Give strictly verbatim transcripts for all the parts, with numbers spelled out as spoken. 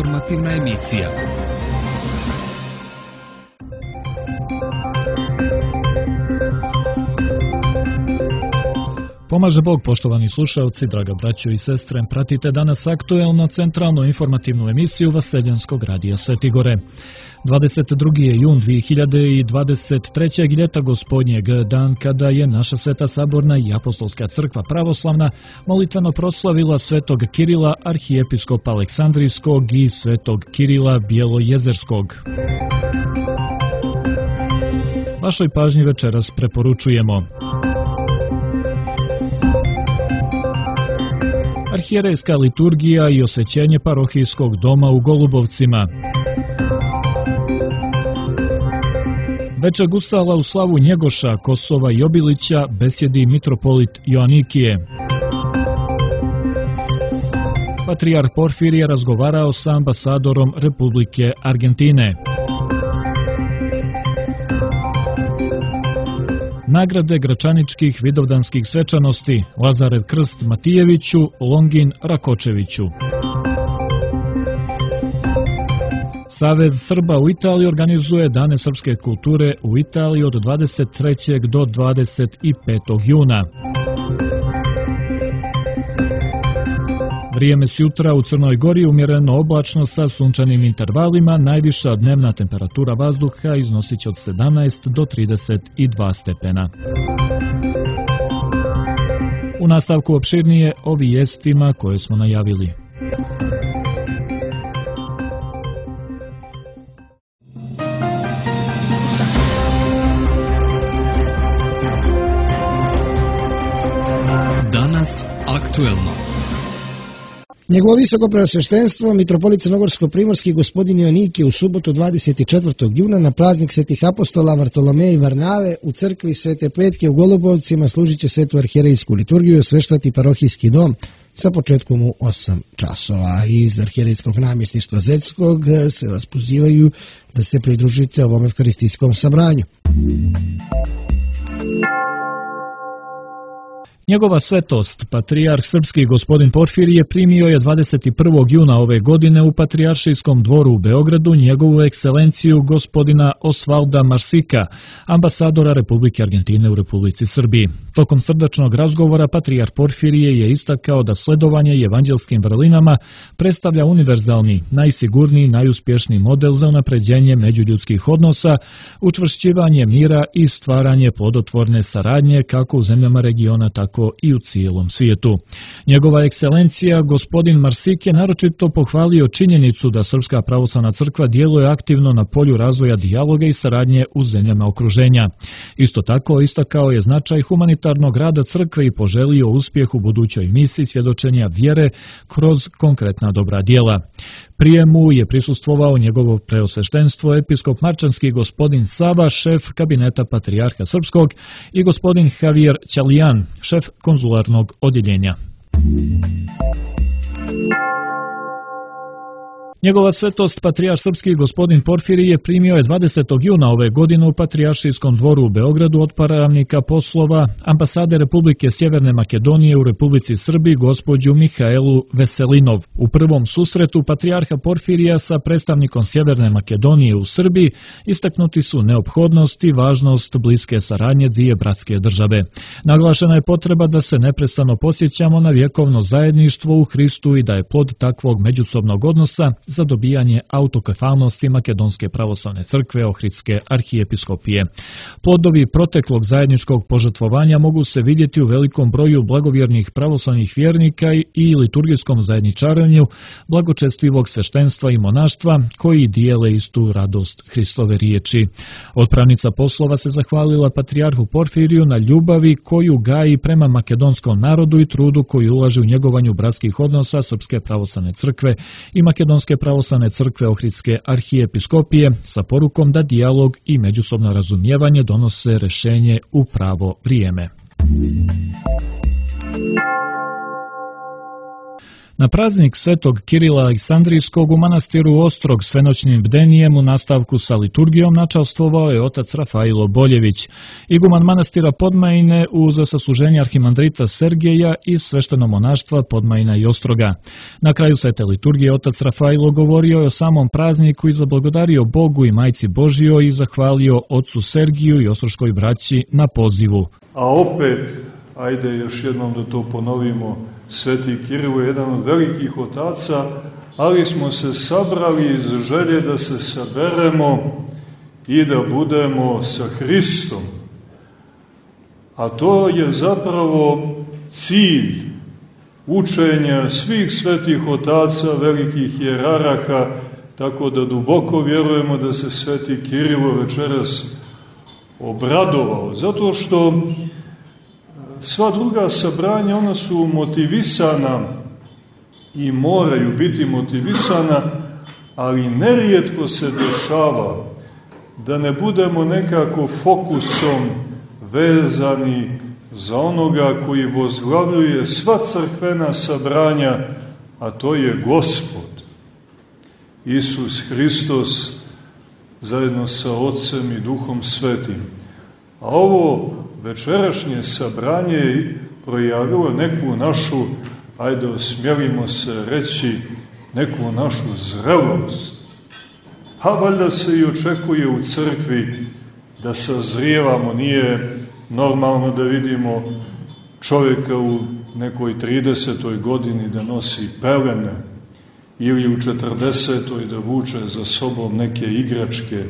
Informativna emisija. Pomaže Bog, poštovani slušalci, draga braćo i sestre, pratite danas aktuelno centralnu informativnu emisiju Vaseljanskog radija Sveti Gore. dvadeset drugi jun dvije hiljade dvadeset trećeg. ljeta gospodnjeg, dan kada je naša Sveta Saborna i Apostolska crkva pravoslavna molitveno proslavila svetog Kirila, arhijepiskopa Aleksandrijskog i svetog Kirila Bjelojezerskog. Vašoj pažnji večeras preporučujemo: arhijerejska liturgija i osvećenje parohijskog doma u Golubovcima, Večer gusala u slavu Njegoša, Kosova i Obilića besjedi mitropolit Joanikije. Patrijarh Porfirije razgovarao sa ambasadorom Republike Argentine. Nagrade gračaničkih vidovdanskih svečanosti: Lazarev krst Matijeviću, Longin Rakočeviću. Savez Srba u Italiji organizuje Dane srpske kulture u Italiji od dvadeset trećeg do dvadeset petog juna. Vrijeme s jutra u Crnoj Gori umjereno oblačno sa sunčanim intervalima, najviša dnevna temperatura vazduha iznosit će od sedamnaest do trideset dva stepena. U nastavku opširnije o vijestima koje smo najavili. Danas aktuelno. Njegovo visoko preosveštenstvo, mitropolit Crnogorsko-primorski gospodin Joanikije u subotu dvadeset četvrtog juna na praznik svetih apostola Vartolomeja i Varnave u crkvi Svete Petke u Golubovcima služit će svetu arhijerejsku liturgiju i osveštati parohijski dom sa početkom u osam časova. Iz arhijerejskog namjesništva Zeljskog se vas pozivaju da se pridružite ovom evharistijskom sabranju. Njegova svetost, patrijarh srpski gospodin Porfirije, primio je dvadeset prvog juna ove godine u Patrijaršijskom dvoru u Beogradu njegovu ekscelenciju gospodina Osvalda Marsika, ambasadora Republike Argentine u Republici Srbiji. Tokom srdačnog razgovora patrijarh Porfirije je istakao da sledovanje evanđelskim vrlinama predstavlja univerzalni, najsigurniji, najuspješniji model za unapređenje međuljudskih odnosa, učvršćivanje mira i stvaranje plodotvorne saradnje kako u zemljama regiona, tako i u cijelom svijetu. Njegova ekscelencija, gospodin Marsik, je naročito pohvalio činjenicu da Srpska pravoslavna crkva djeluje aktivno na polju razvoja dijaloga i saradnje u zemljama okruženja. Isto tako istakao je značaj humanitarnog rada crkve i poželio uspjeh u budućoj misiji svjedočenja vjere kroz konkretna dobra djela. Prijemu je prisustvovao njegovo preosveštenstvo episkop marčanski gospodin Sava, šef kabineta patrijarha srpskog, i gospodin Javier Ćalijan, šef konzularnog odjeljenja. Njegova svetost, patrijarh srpski gospodin Porfirije, primio je dvadesetog juna ove godine u Patrijaršijskom dvoru u Beogradu od pravnika poslova ambasade Republike Sjeverne Makedonije u Republici Srbiji gospođu Mihaelu Veselinov. U prvom susretu patrijarha Porfirija sa predstavnikom Sjeverne Makedonije u Srbiji istaknuti su neophodnost i važnost bliske saradnje dvije bratske države. Naglašena je potreba da se neprestano posjećamo na vjekovno zajedništvo u Hristu i da je plod takvog međusobnog odnosa za dobijanje autokefalnosti Makedonske pravoslavne crkve Ohridske arhijepiskopije. Plodovi proteklog zajedničkog požrtvovanja mogu se vidjeti u velikom broju blagovjernih pravoslavnih vjernika i liturgijskom zajedničarenju blagočestivog sveštenstva i monaštva koji dijele istu radost Hristove riječi. Otpravnica poslova se zahvalila patrijarhu Porfiriju na ljubavi koju gaji prema makedonskom narodu i trudu koji ulaže u njegovanju bratskih odnosa Srpske pravoslavne crkve i Makedonske pravoslavne crkve Ohridske arhijepiskopije sa porukom da dijalog i međusobno razumijevanje donose rješenje u pravo vrijeme. Na praznik Svetog Kirila Aleksandrijskog u manastiru Ostrog s venoćnim bdenijem u nastavku sa liturgijom načastvovao je otac Rafailo Boljević, iguman manastira Podmajine uz sasluženje arhimandrita Sergeja i svešteno monaštva Podmajina i Ostroga. Na kraju svete liturgije otac Rafailo govorio je o samom prazniku i zablagodario Bogu i Majci Božjoj i zahvalio ocu Sergiju i ostroškoj braći na pozivu. A opet, ajde još jednom da to ponovimo, Sveti Kiril je jedan od velikih otaca, ali smo se sabrali iz želje da se saberemo i da budemo sa Hristom. A to je zapravo cilj učenja svih svetih otaca, velikih hijerarha, tako da duboko vjerujemo da se Sveti Kirilo večeras obradovao, zato što sva druga sabranja, ona su motivisana i moraju biti motivisana, ali nerijetko se dešava da ne budemo nekako fokusom vezani za onoga koji vozglavljuje sva crkvena sabranja, a to je Gospod, Isus Hristos, zajedno sa Otcem i Duhom Svetim. A ovo večerašnje sabranje je projavilo neku našu, ajde osmjelimo se reći, neku našu zrelost. A valjda se i očekuje u crkvi da sazrijevamo, nije normalno da vidimo čovjeka u nekoj tridesetoj godini da nosi pelene ili u četrdesetoj da vuče za sobom neke igračke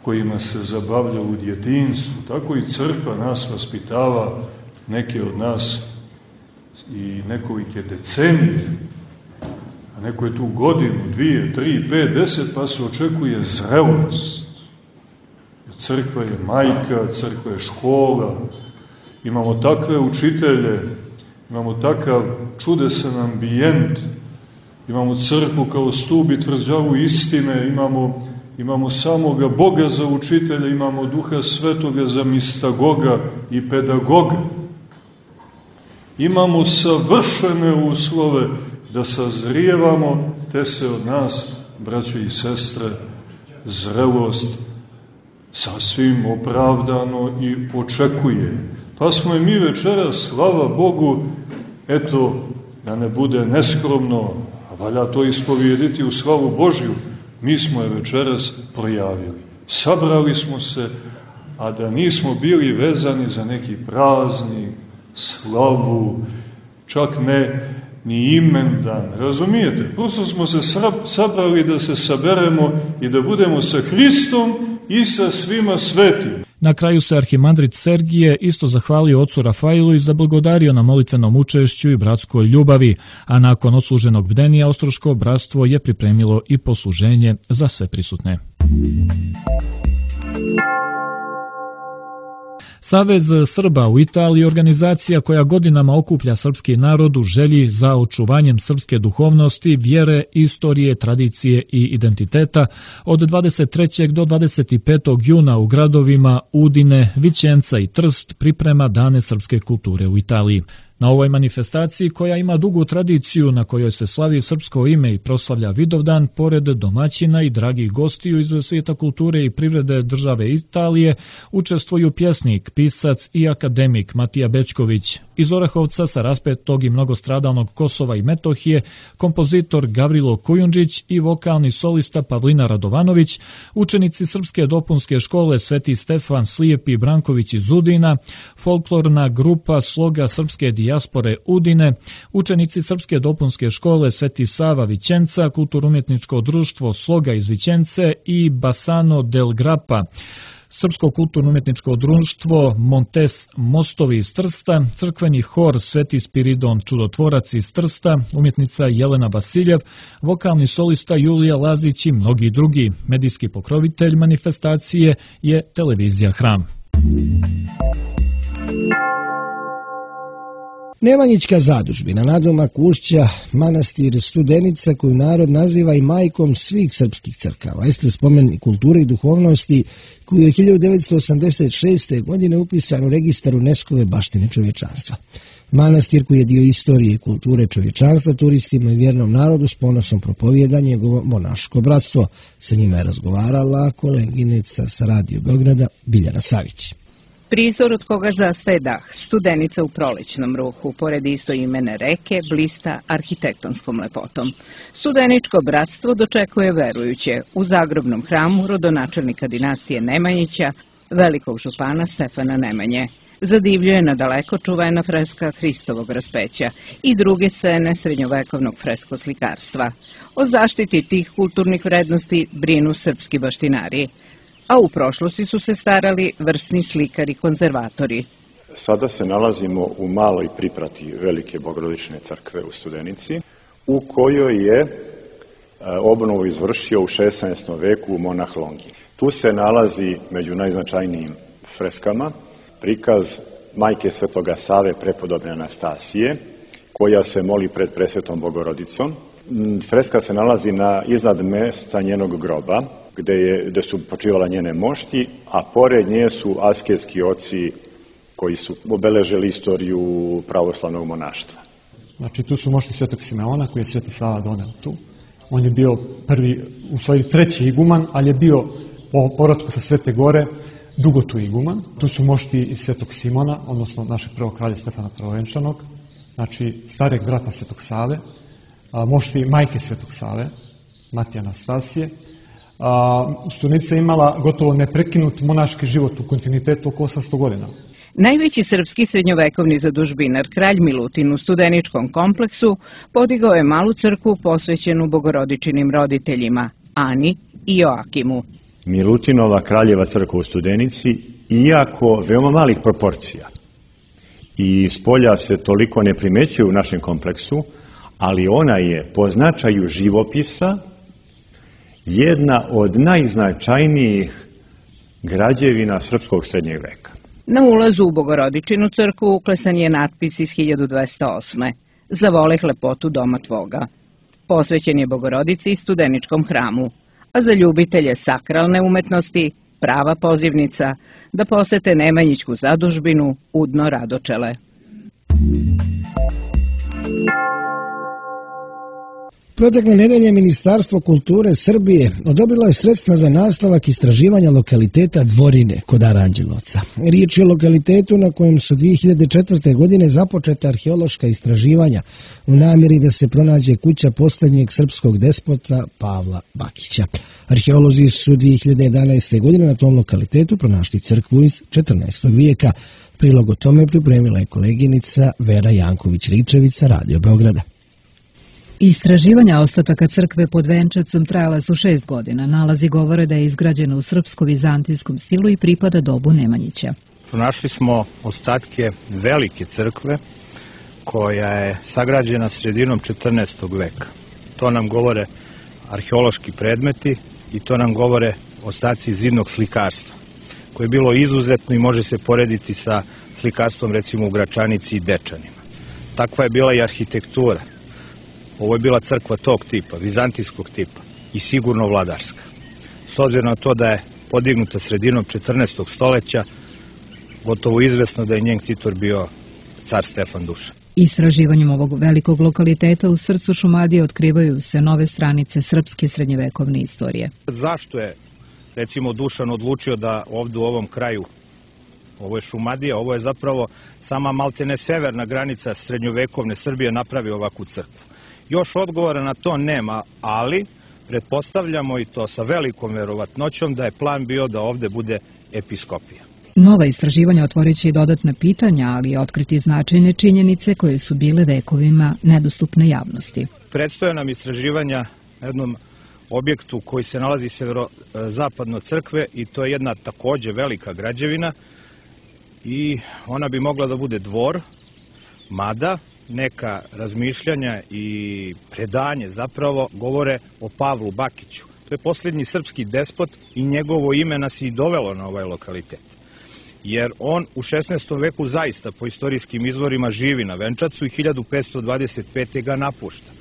kojima se zabavlja u djetinjstvu. Tako i crkva nas vaspitava, neke od nas i nekolike decenije, a neko je tu godinu, dvije, tri, pet, deset, pa se očekuje zrelost. Crkva je majka, crkva je škola, imamo takve učitelje, imamo takav čudesan ambijent, imamo crkvu kao stup i tvrđavu istine, imamo Imamo samoga Boga za učitelja, imamo Duha Svetoga za mistagoga i pedagoga. Imamo savršene uslove da sazrijevamo, te se od nas, braće i sestre, zrelost sasvim opravdano i očekuje. Pa smo i mi večeras, slava Bogu, eto, da ne bude neskromno, a valja to ispovijediti u slavu Božju, mi smo je večeras projavili. Sabrali smo se, a da nismo bili vezani za neki praznik, slavu, čak ne ni imendan. Razumijete? Prosto smo se sabrali da se saberemo i da budemo sa Hristom i sa svima svetim. Na kraju se arhimandrit Sergije isto zahvalio ocu Rafailu i zablagodario na molitvenom učešću i bratskoj ljubavi, a nakon odsluženog bdenija ostroško bratstvo je pripremilo i posluženje za sve prisutne. Savez Srba u Italiji je organizacija koja godinama okuplja srpski narod u želji za očuvanjem srpske duhovnosti, vjere, istorije, tradicije i identiteta. Od dvadeset trećeg do dvadeset petog juna u gradovima Udine, Vićenca i Trst priprema Dane srpske kulture u Italiji. Na ovoj manifestaciji, koja ima dugu tradiciju, na kojoj se slavi srpsko ime i proslavlja Vidovdan, pored domaćina i dragih gostiju iz svijeta kulture i privrede države Italije, učestvuju pjesnik, pisac i akademik Matija Bečković. Iz Orahovca sa raspetog i mnogostradalnog Kosova i Metohije, kompozitor Gavrilo Kujundžić i vokalni solista Pavlina Radovanović, učenici Srpske dopunske škole Sveti Stefan Slijepi Branković iz Udina, folklorna grupa Sloga srpske dijaspore Udine, učenici Srpske dopunske škole Sveti Sava Vićenca, kulturno-umjetničko društvo Sloga iz Vićence i Basano del Grappa, Srpsko kulturno-umjetničko društvo Montes Mostovi iz Trsta, crkveni hor Sveti Spiridon Čudotvorac iz Trsta, umjetnica Jelena Vasiljev, vokalni solista Julija Lazić i mnogi drugi. Medijski pokrovitelj manifestacije je televizija Hram. Nemanjićka zadužbina nadomak Ušća, manastir Studenica, koju narod naziva i majkom svih srpskih crkava, jeste spomenik kulture i duhovnosti, koji je hiljadu devetsto osamdeset šeste. godine upisan u registar UNESCO-ve baštine čovječanstva. Manastir koji je dio istorije i kulture čovječanstva turistima i vjernom narodu s ponosom propovijedanje njegovo monaško bratstvo. Sa njima je razgovarala koleginica sa Radio Beograda Biljana Savić. Prizor od koga zastaje dah, Studenica u prolećnom ruhu, pored istoimene reke, blista arhitektonskom lepotom. Studeničko bratstvo dočekuje verujuće u zagrobnom hramu rodonačelnika dinastije Nemanjića, velikog župana Stefana Nemanje. Zadivljuje nadaleko čuvena freska Hristovog raspeća i druge scene srednjovekovnog freskoslikarstva. O zaštiti tih kulturnih vrednosti brinu srpski baštinari, a u prošlosti su se starali vrsni slikari konzervatori. Sada se nalazimo u maloj priprati Velike Bogorodične crkve u Studenici, u kojoj je obnovu izvršio u šesnaestom veku monah Longin. Tu se nalazi među najznačajnijim freskama prikaz majke Svetoga Save prepodobne Anastasije, koja se moli pred presvetom Bogorodicom. Freska se nalazi na iznad mesta njenog groba, gde, je, gde su počivala njene mošti, a pored nje su asketski oci koji su obeležili istoriju pravoslavnog monaštva. Znači tu su mošti Svetog Simeona koji je Sveti Sava doneo tu. On je bio prvi, u stvari treći iguman, ali je bio po povratku sa Svete Gore dugo tu iguman. Tu su mošti iz Svetog Simona, odnosno našeg prvog kralja Stefana Prvovenčanog, znači stareg brata Svetog Save, a, mošti majke Svetog Save, Matije Anastasije. Studenica je imala gotovo neprekinut monaški život u kontinuitetu oko osamsto godina. Najveći srpski srednjovekovni zadužbinar kralj Milutin u Studeničkom kompleksu podigao je malu crkvu posvećenu Bogorodičinim roditeljima, Ani i Joakimu. Milutinova kraljeva crkva u Studenici, iako veoma malih proporcija i spolja se toliko ne primećuje u našem kompleksu, ali ona je po značaju živopisa jedna od najznačajnijih građevina srpskog srednjeg veka. Na ulazu u Bogorodičinu crkvu uklesan je natpis iz hiljadu dvesta osme. Zavoleh lepotu doma tvoga. Posvećen je Bogorodici i Studeničkom hramu, a za ljubitelje sakralne umetnosti prava pozivnica da posete Nemanjićku zadužbinu Udno Radočele. Protekle nedelje Ministarstvo kulture Srbije odobrilo je sredstva za nastavak istraživanja lokaliteta Dvorine kod Aranđelovca. Riječ je o lokalitetu na kojem su dvije hiljade četvrte. godine započeta arheološka istraživanja u namjeri da se pronađe kuća posljednjeg srpskog despota Pavla Bakića. Arheolozi su dvije hiljade jedanaeste. godine na tom lokalitetu pronašli crkvu iz četrnaestog vijeka. Prilog o tome pripremila je koleginica Vera Janković-Ričević sa Radio Beograda. Istraživanja ostataka crkve pod Venčacom trajala su šest godina. Nalazi govore da je izgrađena u srpsko-vizantijskom stilu i pripada dobu Nemanjića. Pronašli smo ostatke velike crkve koja je sagrađena sredinom četrnaestog veka. To nam govore arheološki predmeti i to nam govore ostaci zidnog slikarstva, koje je bilo izuzetno i može se porediti sa slikarstvom recimo u Gračanici i Dečanima. Takva je bila i arhitektura. Ovo je bila crkva tog tipa, vizantijskog tipa i sigurno vladarska. S obzirom na to da je podignuta sredinom četrnaestog stoleća, gotovo izvesno da je njen ktitor bio car Stefan Dušan. Istraživanjem ovog velikog lokaliteta u srcu Šumadije otkrivaju se nove stranice srpske srednjevekovne istorije. Zašto je, recimo, Dušan odlučio da ovdje u ovom kraju, ovo je Šumadija, ovo je zapravo sama maltene severna granica srednjovekovne Srbije, napravi ovakvu crkvu? Još odgovora na to nema, ali pretpostavljamo i to sa velikom verovatnoćom da je plan bio da ovdje bude episkopija. Nova istraživanja otvorit će i dodatna pitanja, ali i otkriti značajne činjenice koje su bile vekovima nedostupne javnosti. Predstoje nam istraživanja na jednom objektu koji se nalazi severozapadno crkve i to je jedna također velika građevina i ona bi mogla da bude dvor, mada neka razmišljanja i predanje zapravo govore o Pavlu Bakiću. To je posljednji srpski despot i njegovo ime nas i dovelo na ovaj lokalitet. Jer on u šesnaestom veku zaista po istorijskim izvorima živi na Venčacu i hiljadu petsto dvadeset pete. ga napušta.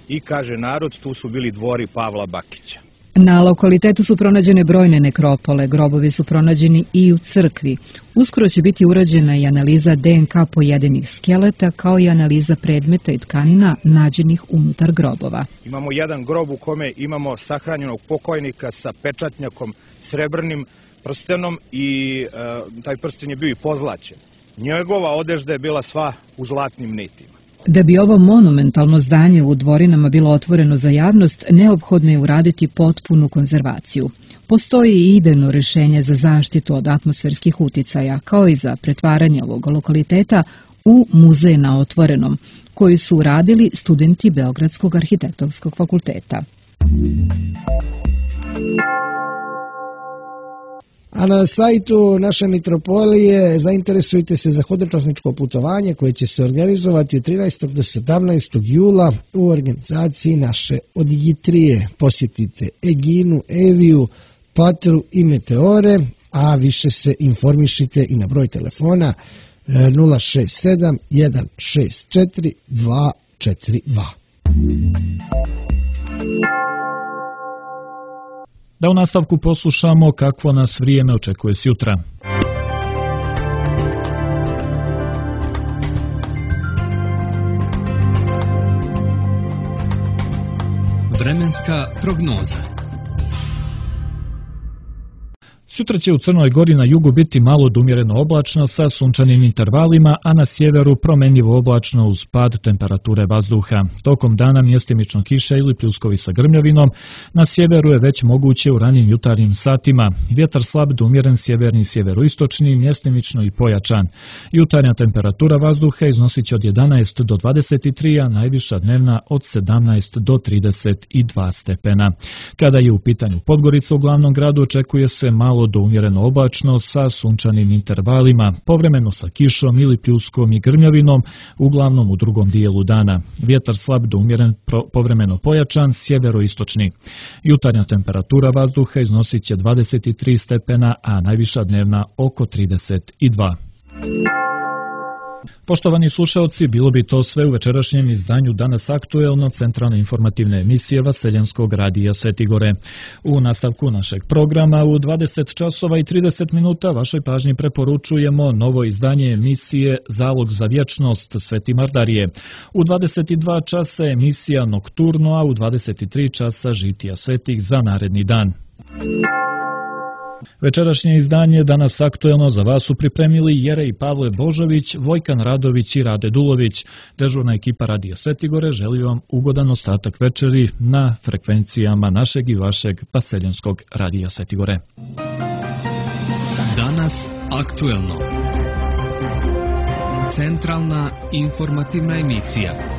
I kaže narod, tu su bili dvori Pavla Bakića. Na lokalitetu su pronađene brojne nekropole, grobovi su pronađeni i u crkvi. Uskoro će biti urađena i analiza D N K pojedinih skeleta, kao i analiza predmeta i tkanina nađenih unutar grobova. Imamo jedan grob u kome imamo sahranjenog pokojnika sa pečatnjakom, srebrnim prstenom i e, taj prsten je bio i pozlaćen. Njegova odežda je bila sva u zlatnim nitima. Da bi ovo monumentalno zdanje u Dvorinama bilo otvoreno za javnost, neophodno je uraditi potpunu konzervaciju. Postoji i idejno rešenje za zaštitu od atmosferskih uticaja, kao i za pretvaranje ovog lokaliteta u muzej na otvorenom, koji su uradili studenti Beogradskog arhitektonskog fakulteta. A na sajtu naše mitropolije zainteresujte se za hodočasničko putovanje koje će se organizovati od trinaestog do sedamnaestog jula u organizaciji naše Odigitrije. Posjetite Eginu, Eviju, Patru i Meteore, a više se informišite i na broj telefona nula šest sedam jedan šest četiri dva četiri dva. Da u nastavku poslušamo kakvo nas vrijeme očekuje sjutra. Vremenska prognoza. Sutra će u Crnoj Gori na jugu biti malo do umjereno oblačno sa sunčanim intervalima, a na sjeveru promenljivo oblačno uz pad temperature vazduha. Tokom dana mjestimično kiša ili pljuskovi sa grmljavinom, na sjeveru je već moguće u ranim jutarnjim satima. Vjetar slab do umjeren sjeverni sjeveroistočni, mjestimično i pojačan. Jutarnja temperatura vazduha iznosit će od jedanaest do dvadeset tri, a najviša dnevna od sedamnaest do trideset dva stepena. Kada je u pitanju Podgorica u glavnom gradu, očekuje se malo do umjereno oblačno sa sunčanim intervalima, povremeno sa kišom ili pljuskom i grmljavinom, uglavnom u drugom dijelu dana. Vjetar slab do umjeren povremeno pojačan, sjeveroistočni. Jutarnja temperatura vazduha iznosit će dvadeset tri stepena, a najviša dnevna oko trideset dva. Poštovani slušalci, bilo bi to sve u večerašnjem izdanju Danas aktuelno centralne informativne emisije Vaseljenskog radija Svetigore. U nastavku našeg programa u dvadeset časova i trideset minuta vašoj pažnji preporučujemo novo izdanje emisije Zalog za vječnost Sveti Mardarije. U dvadeset dva časa emisija Nokturno, a u dvadeset tri časa Žitija svetih za naredni dan. Večerašnje izdanje Danas aktuelno za vas su pripremili Jerej Pavle Božović, Vojkan Radović i Rade Dulović. Dežurna ekipa Radija Svetigore želi vam ugodan ostatak večeri na frekvencijama našeg i vašeg Vaseljenskog radija Svetigore. Danas aktuelno. Centralna informativna emisija.